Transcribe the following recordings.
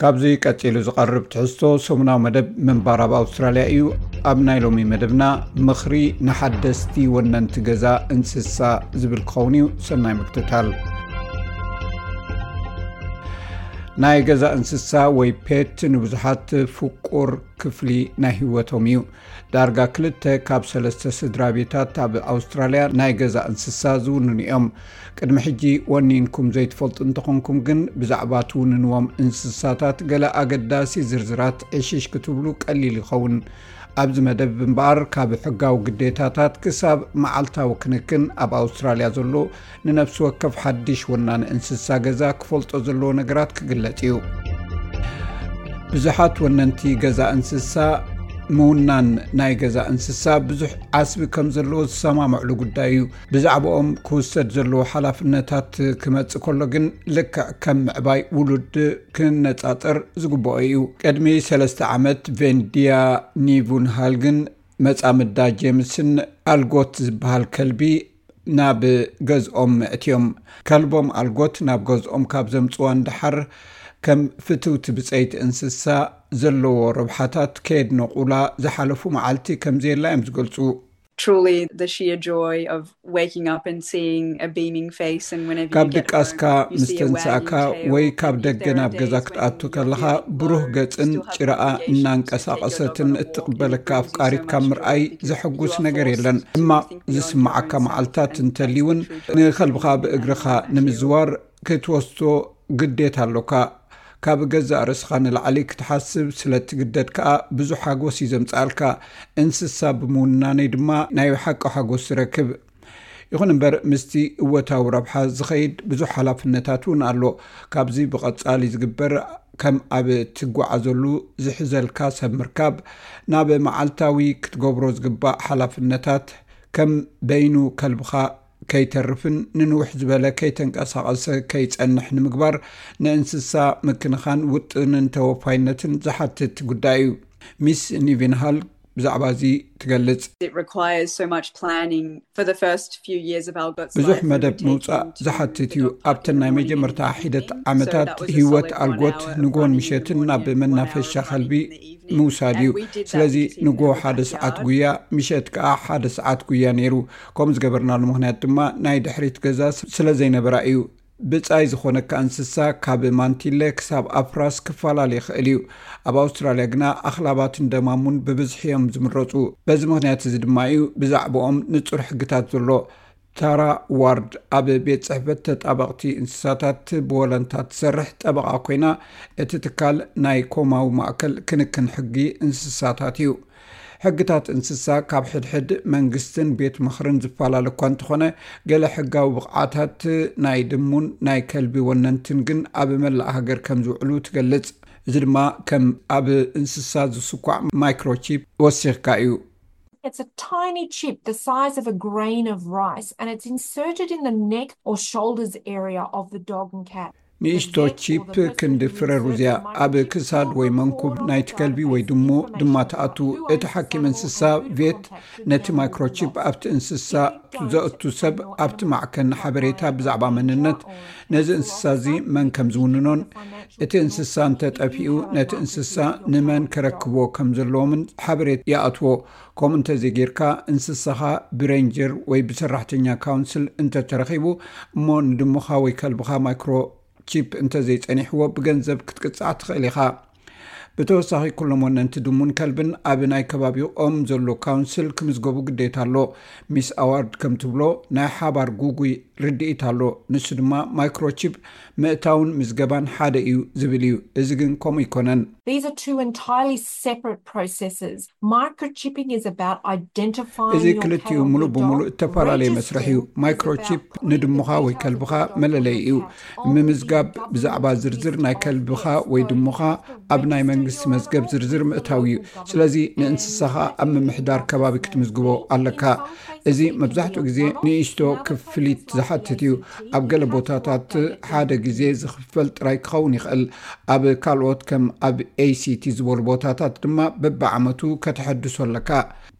ካብዚ ቀጺሉ ዝቐርብ ትሕዝቶ ሰሙናዊ መደብ ምንባር ኣብ ኣውስትራልያ እዩ። ኣብ ናይ ሎሚ መደብና፣ ምኽሪ ንሓደስቲ ወነንቲ ገዛ እንስሳ ዝብል ክኸውን እዩ። ሰናይ ምክትታል። ናይ ገዛ እንስሳ ወይ ፔት ንብዙሓት ፍቁር ክፍሊ ናይ ህይወቶም እዩ። ዳርጋ ክልተ ካብ ሰለስተ ስድራ ቤታት ኣብ ኣውስትራልያ ናይ ገዛ እንስሳ ዝውንኑ እዮም። ቅድሚ ሕጂ ወኒንኩም ዘይትፈልጡ እንተኾንኩም ግን፣ ብዛዕባ ትውንንዎም እንስሳታት ገለ ኣገዳሲ ዝርዝራት ዕሽሽ ክትብሉ ቀሊል ይኸውን። ኣብዚ መደብ እምበኣር፣ ካብ ሕጋዊ ግዴታታት ክሳብ መዓልታዊ ክንክን ኣብ ኣውስትራልያ ዘሎ ንነፍሲ ወከፍ ሓድሽ ወናኒ እንስሳ ገዛ ክፈልጦ ዘለዎ ነገራት ክግለጽ እዩ። ብዙሓት ወነንቲ ገዛ እንስሳ፣ ምውናን ናይ ገዛ እንስሳ ብዙሕ ዓስቢ ከም ዘለዎ ዝሰማምዕሉ ጉዳይ እዩ። ብዛዕባኦም ክውሰድ ዘለዎ ሓላፍነታት ክመጽእ ከሎ ግን፣ ልክዕ ከም ምዕባይ ውሉድ ክነጻጸር ዝግብኦ እዩ። ቅድሚ ሰለስተ ዓመት፣ ቬንድያ ኒቡንሃልግን መጻምዳ ጄምስን ኣልጎት ዝበሃል ከልቢ ናብ ገዝኦም ኣእትዮም። ከልቦም ኣልጎት ናብ ገዝኦም ካብ ዘምጽዋ ንደሓር፣ ከም ፍትውቲ ብጸይቲ እንስሳ ዘለዎ ረብሓታት ከየድነቑላ ዝሓለፉ መዓልቲ ከም ዘየላ እዮም ዝገልጹ። Truly, the sheer joy of waking up and seeing a beaming face, and whenever ካብ you get ድቃስካ home, you ምስ see a ተንሳእካ wagging tail, ወይ and ካብ if ደገ there are ናብ ገዛ days when ክትኣቱ you feel ከለኻ፣ like you ብሩህ are ገጽን still have ጭራኣ obligations to take your dog እናንቀሳቐሰትን on a walk, it እትቕበለካ brings you so ኣፍቃሪትካ much ምርኣይ joy because ዘሐጉስ you are ነገር የለን። forced to ሕማቕ think beyond your ዝስምዓካ own መዓልታት sense and እንተልዩ እውን፣ think through to ንኸልብኻ ብእግርኻ ንምዝዋር ክትወስዶ ግዴታ ኣሎካ። ካብ ገዛእ ርእስኻ ንላዕሊ ክትሓስብ ስለ ትግደድ ከኣ፣ ብዙሕ ሓጎስ እዩ ዘምጽኣልካ። እንስሳ ብምውናነይ ድማ ናይ ሓቂ ሓጎስ ዝረክብ። ይኹን እምበር፣ ምስቲ እወታዊ ረብሓ ዝኸይድ ብዙሕ ሓላፍነታት እውን ኣሎ። ካብዚ ብቐጻሊ ዝግበር፣ ከም ኣብ ትጓዓዘሉ ዝሕዘልካ ሰብ ምርካብ፣ ናብ መዓልታዊ ክትገብሮ ዝግባእ ሓላፍነታት፣ ከም በይኑ ከልብኻ ከይተርፍን ንንውሕ ዝበለ ከይተንቀሳቐሰ ከይጸንሕ ንምግባር፣ ንእንስሳ ምክንኻን ውጥንን ተወፋይነትን ዝሓትት ጉዳይ እዩ። ሚስ ኒቪንሃል ብዛዕባ እዚ ትገልጽ። It requires so much planning for the first few years of Algot's ብዙሕ life. We መደብ would take ምውጻእ him to ዝሓትት the እዩ። dog park ኣብተን in the ናይ morning መጀመርታ and in the ሒደት evening. So ዓመታት that was a ህይወት solid one ኣልጎት hour of ንግሆን running in the ምሸትን morning ናብ and one hour መናፈሻ of ከልቢ running in the evening. ምውሳድ እዩ። And we did that ስለዚ because he ንግሆ never ሓደ had ሰዓት yard. ጉያ፣ ምሸት ከኣ ሓደ ሰዓት ጉያ ነይሩ። ከምኡ ዝገበርናሉ ምኽንያት ድማ፣ ናይ ድሕሪት ገዛ ስለ ዘይነበራ እዩ። ብጻይ ዝኾነካ እንስሳ፣ ካብ ማንቲለ ክሳብ ኣፍራስ ክፈላለ ይኽእል እዩ። ኣብ ኣውስትራልያ ግና፣ ኣኽላባትን ደማሙን ብብዝሒ እዮም ዝምረጹ። በዚ ምኽንያት እዚ ድማ እዩ ብዛዕባኦም ንጹር ሕግታት ዘሎ። ታራ ዋርድ ኣብ ቤት ጽሕፈት ተጣበቕቲ እንስሳታት ብወለንታ ትሰርሕ ጠበቓ ኮይና፣ እቲ ትካል ናይ ኮማዊ ማእከል ክንክን ሕጊ እንስሳታት እዩ። ሕግታት እንስሳ ካብ ሕድሕድ መንግስትን ቤት ምኽርን ዝፈላለ እኳ እንተኾነ፣ ገለ ሕጋዊ ብቕዓታት ናይ ድሙን ናይ ከልቢ ወነንትን ግን ኣብ መላእ ሃገር ከም ዝውዕሉ ትገልጽ። እዚ ድማ ከም ኣብ እንስሳ ዝስኳዕ ማይክሮቺፕ ወሲኽካ እዩ። It's a tiny chip the size of a grain of rice, and it's inserted in the neck or shoulders area of the dog and cat. ንእሽቶ ቺፕ ክንዲ ፍረ ሩዝያ ኣብ ክሳድ ወይ መንኩብ ናይቲ ከልቢ ወይ ድሙ ድማ ትኣቱ። እቲ ሓኪም እንስሳ ቬት ነቲ ማይክሮቺፕ ኣብቲ እንስሳ ዘእቱ ሰብ ኣብቲ ማዕከን ሓበሬታ ብዛዕባ መንነት ነዚ እንስሳ እዚ መን ከም ዝውንኖን እቲ እንስሳ እንተጠፊኡ ነቲ እንስሳ ንመን ከረክብዎ ከም ዘለዎምን ሓበሬታ ይኣትዎ። ከምኡ እንተዘይጌርካ፣ እንስሳኻ ብሬንጀር ወይ ብሰራሕተኛ ካውንስል እንተተረኺቡ፣ እሞ ንድሙኻ ወይ ከልብኻ ማይክሮ ቺፕ እንተዘይጸኒሕዎ፣ ብገንዘብ ክትቅጻዕ ትኽእል ኢኻ። ብተወሳኺ፣ ኩሎም ወነንቲ ድሙን ከልብን ኣብ ናይ ከባቢኦም ዘሎ ካውንስል ክምዝገቡ ግዴታ ኣሎ። ሚስ ኣዋርድ ከም ትብሎ፣ ናይ ሓባር ጉጉይ ርድኢት ኣሎ። ንሱ ድማ፣ ማይክሮቺፕ ምእታውን ምዝገባን ሓደ እዩ ዝብል እዩ። እዚ ግን ከምኡ ኣይኮነን። These are two entirely separate processes. Microchipping is about identifying እዚ your cat ክልቲኡ or ምሉእ your ብምሉእ dog, እተፈላለየ መስርሕ እዩ። registering is ማይክሮቺፕ about putting ንድሙኻ the ወይ details of ከልብኻ the dog or መለለዪ the እዩ። cat on ምምዝጋብ the government ብዛዕባ ዝርዝር ናይ database ከልብኻ first, ወይ so you ድሙኻ have to ኣብ ናይ register መንግስቲ your መዝገብ animal ዝርዝር with the ምእታው እዩ። local government ስለዚ and ንእንስሳኻ ኣብ that ምምሕዳር is ከባቢ the ክትምዝግቦ same thing. ኣለካ። In some cases እዚ it can be a መብዛሕትኡ ግዜ one-off, ንእሽቶ but other ክፍሊት places it ዝሓትት can እዩ። be ኣብ ገለ yearly. ቦታታት Updated ሓደ every ግዜ year. ዝኽፈል ጥራይ ክኸውን ይኽእል። ኣብ ካልኦት ከም ኣብ ኤሲቲ ዝበሉ ቦታታት ድማ በብዓመቱ ከተሐድሶ ኣለካ።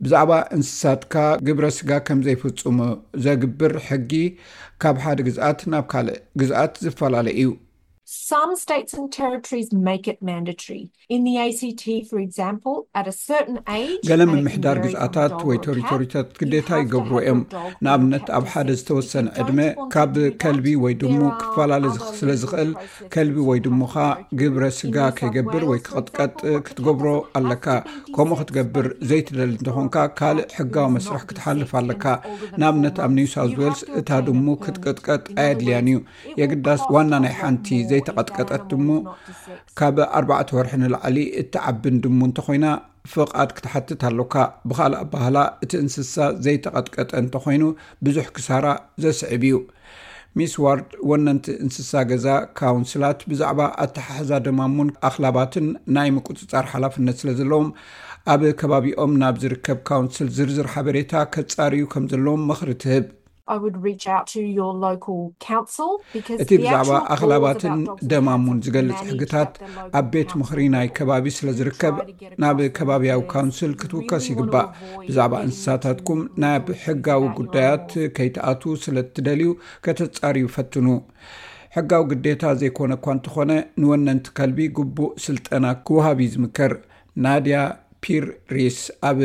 ብዛዕባ እንስሳትካ ግብረ ስጋ ከም ዘይፍጽሙ ዘግብር ሕጊ ካብ ሓደ ግዝኣት ናብ ካልእ ግዝኣት ዝፈላለ እዩ። Some states and territories make it mandatory. In the A C T, for example, at a certain age, ገለ ምምሕዳር ግዝኣታት ወይ ቴሪቶሪታት ግዴታ ይገብሩ እዮም። ንኣብነት ኣብ ሓደ ዝተወሰነ ዕድመ ካብ ከልቢ ወይ ድሙ ክፈላለ ስለ ዝኽእል ከልቢ ወይ ድሙኻ ግብረ ስጋ ከይገብር ወይ ክቕጥቀጥ ክትገብሮ ኣለካ። ከምኡ ክትገብር ዘይትደሊ እንተኾንካ ካልእ ሕጋዊ መስርሕ ክትሓልፍ ኣለካ። ንኣብነት ኣብ ኒው ሳውዝ ዌልስ እታ ድሙ ክትቅጥቀጥ ኣየድልያን እዩ። የግዳስ ዋና ናይ ሓንቲ ዘይተቐጥቀጠት ድሙ ካብ ኣርባዕተ ወርሒ ንላዕሊ እትዓብን ድሙ እንተኾይና ፍቓድ ክትሓትት ኣሎካ። ብኻልእ ኣባህላ እቲ እንስሳ ዘይተቐጥቀጠ እንተኾይኑ ብዙሕ ክሳራ ዘስዕብ እዩ። ሚስ ዋርድ ወነንቲ እንስሳ ገዛ ካውንስላት ብዛዕባ ኣተሓሕዛ ደማሙን ኣኽላባትን ናይ ምቁፅፃር ሓላፍነት ስለ ዘለዎም ኣብ ከባቢኦም ናብ ዝርከብ ካውንስል ዝርዝር ሓበሬታ ከፃርዩ ከም ዘለዎም ምኽሪ ትህብ። I would reach out to your local council because እቲ ብዛዕባ ኣኽላባትን ደማሙን ዝገልጽ ሕግታት ኣብ ቤት ምኽሪ ናይ ከባቢ ስለ ዝርከብ ናብ ከባቢያዊ ካውንስል ክትውከስ ይግባእ። ብዛዕባ እንስሳታትኩም ናብ ሕጋዊ ጉዳያት ከይትኣትዉ ስለ እትደልዩ ከተጻርዩ ፈትኑ። ሕጋዊ ግዴታ ዘይኮነ እኳ እንተኾነ ንወነንቲ ከልቢ ግቡእ ስልጠና ክወሃብ እዩ ዝምከር። ናድያ ፒር ሪስ ኣብ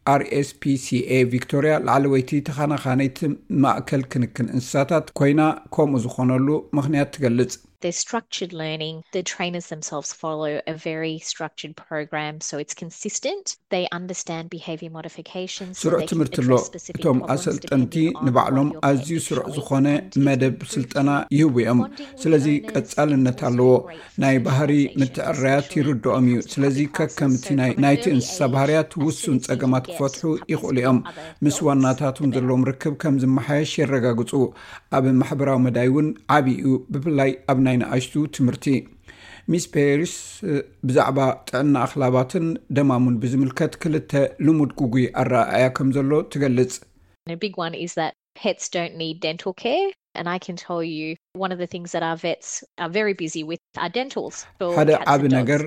R S P C A ቪክቶርያ ላዕለወይቲ ተኻናኻነይቲ ማእከል ክንክን እንስሳታት ኮይና ከምኡ ዝኾነሉ ምኽንያት ትገልጽ። There's structured learning. The trainers themselves follow a very structured program, so it's consistent. They understand behavior modification. ስሩዕ ትምህርቲ ኣሎ። እቶም ኣሰልጠንቲ ንባዕሎም ኣዝዩ ስሩዕ ዝኾነ መደብ ስልጠና ይህቡ እዮም። ስለዚ ቀጻልነት ኣለዎ። ናይ ባህሪ ምትዕርራያት ይርድኦም እዩ። ስለዚ ከከምቲ ናይቲ እንስሳ ባህርያት ውሱን ጸገማት ክፈትሑ ይኽእሉ እዮም። ምስ ዋናታቶም ዘለዎም ርክብ ከም ዝመሓየሽ የረጋግጹ። ኣብ ማሕበራዊ መዳይ እውን ዓቢ እዩ፣ ብፍላይ ኣብ ናይ ንኣሽቱ ትምህርቲ። ሚስ ፔሪስ ብዛዕባ ጥዕና ኣኽላባትን ደማሙን ብዝምልከት ክልተ ልሙድ ጉጉይ ኣረኣእያ ከም ዘሎ ትገልጽ። A big one is that pets don't need dental care. And I can tell you, one of the things that our vets are very busy with are dentals. ሓደ ዓቢ ነገር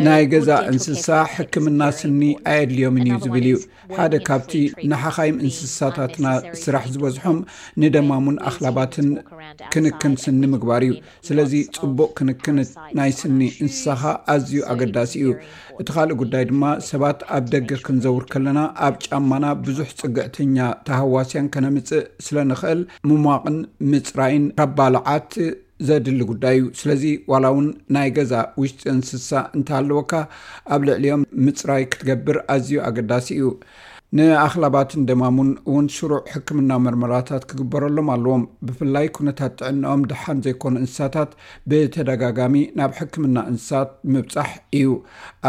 ናይ ገዛ እንስሳ ሕክምና ስኒ ኣየድልዮምን እዩ ዝብል እዩ። ሓደ ካብቲ ንሓኻይም እንስሳታትና ስራሕ ዝበዝሖም ንደማሙን ኣኽላባትን ክንክን ስኒ ምግባር እዩ። ስለዚ ጽቡቕ ክንክን ናይ ስኒ እንስሳኻ ኣዝዩ ኣገዳሲ እዩ። እቲ ካልእ ጉዳይ ድማ ሰባት ኣብ ደገ ክንዘውር ከለና ኣብ ጫማና ብዙሕ ጽግዕተኛ ተሃዋስያን ከነምጽእ ስለ ንኽእል ምሟቕን ምጽራይን ካብ ባልዓት ዘድሊ ጉዳይ እዩ። ስለዚ ዋላ እውን ናይ ገዛ ውሽጢ እንስሳ እንተሃለወካ ኣብ ልዕሊኦም ምጽራይ ክትገብር ኣዝዩ ኣገዳሲ እዩ። ንኣኽላባትን ደማሙን እውን ሽሩዕ ሕክምና መርመራታት ክግበረሎም ኣለዎም። ብፍላይ ኩነታት ጥዕናኦም ደሓን ዘይኮኑ እንስሳታት ብተደጋጋሚ ናብ ሕክምና እንስሳት ምብጻሕ እዩ።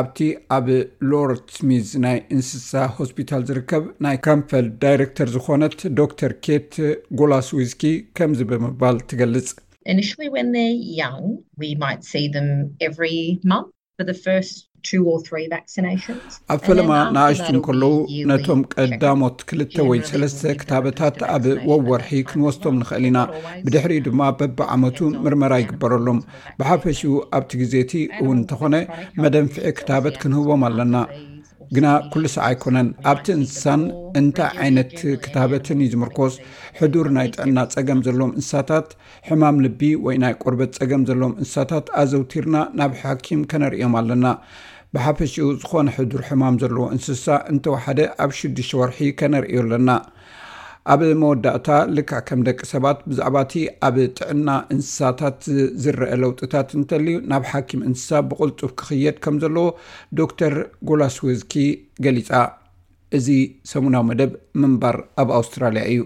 ኣብቲ ኣብ ሎርድ ስሚዝ ናይ እንስሳ ሆስፒታል ዝርከብ ናይ ካምፈልድ ዳይሬክተር ዝኾነት ዶክተር ኬት ጎላስዊስኪ ከምዚ ብምባል ትገልጽ። Initially, when they're young, we might see them every month for the first two or three vaccinations. ኣብ ፈለማ ንኣሽቱ እንከለዉ ነቶም ቀዳሞት ክልተ ወይ ሰለስተ ክታበታት ኣብ ወወርሒ ክንወስዶም ንኽእል ኢና። ብድሕሪኡ ድማ በብዓመቱ ምርመራ ይግበረሎም። ብሓፈሽኡ ኣብቲ ግዜ እቲ እውን እንተኾነ መደንፍዒ ክታበት ክንህቦም ኣለና። ግና ኩሉ ሳዕ ኣይኮነን። ኣብቲ እንስሳን እንታይ ዓይነት ክታበትን እዩ ዝምርኮስ። ሕዱር ናይ ጥዕና ጸገም ዘለዎም እንስሳታት፣ ሕማም ልቢ ወይ ናይ ቆርበት ጸገም ዘለዎም እንስሳታት ኣዘውቲርና ናብ ሓኪም ከነርእዮም ኣለና። ብሓፈሽኡ ዝኾነ ሕዱር ሕማም ዘለዎ እንስሳ እንተወሓደ ኣብ ሽዱሽተ ወርሒ ከነርእዮ ኣለና። ኣብ መወዳእታ ልክዕ ከም ደቂ ሰባት ብዛዕባ እቲ ኣብ ጥዕና እንስሳታት ዝረአ ለውጥታት እንተልዩ ናብ ሓኪም እንስሳ ብቕልጡፍ ክኽየድ ከም ዘለዎ ዶክተር ጎላስዌዝኪ ገሊጻ። እዚ ሰሙናዊ መደብ ምንባር ኣብ ኣውስትራልያ እዩ።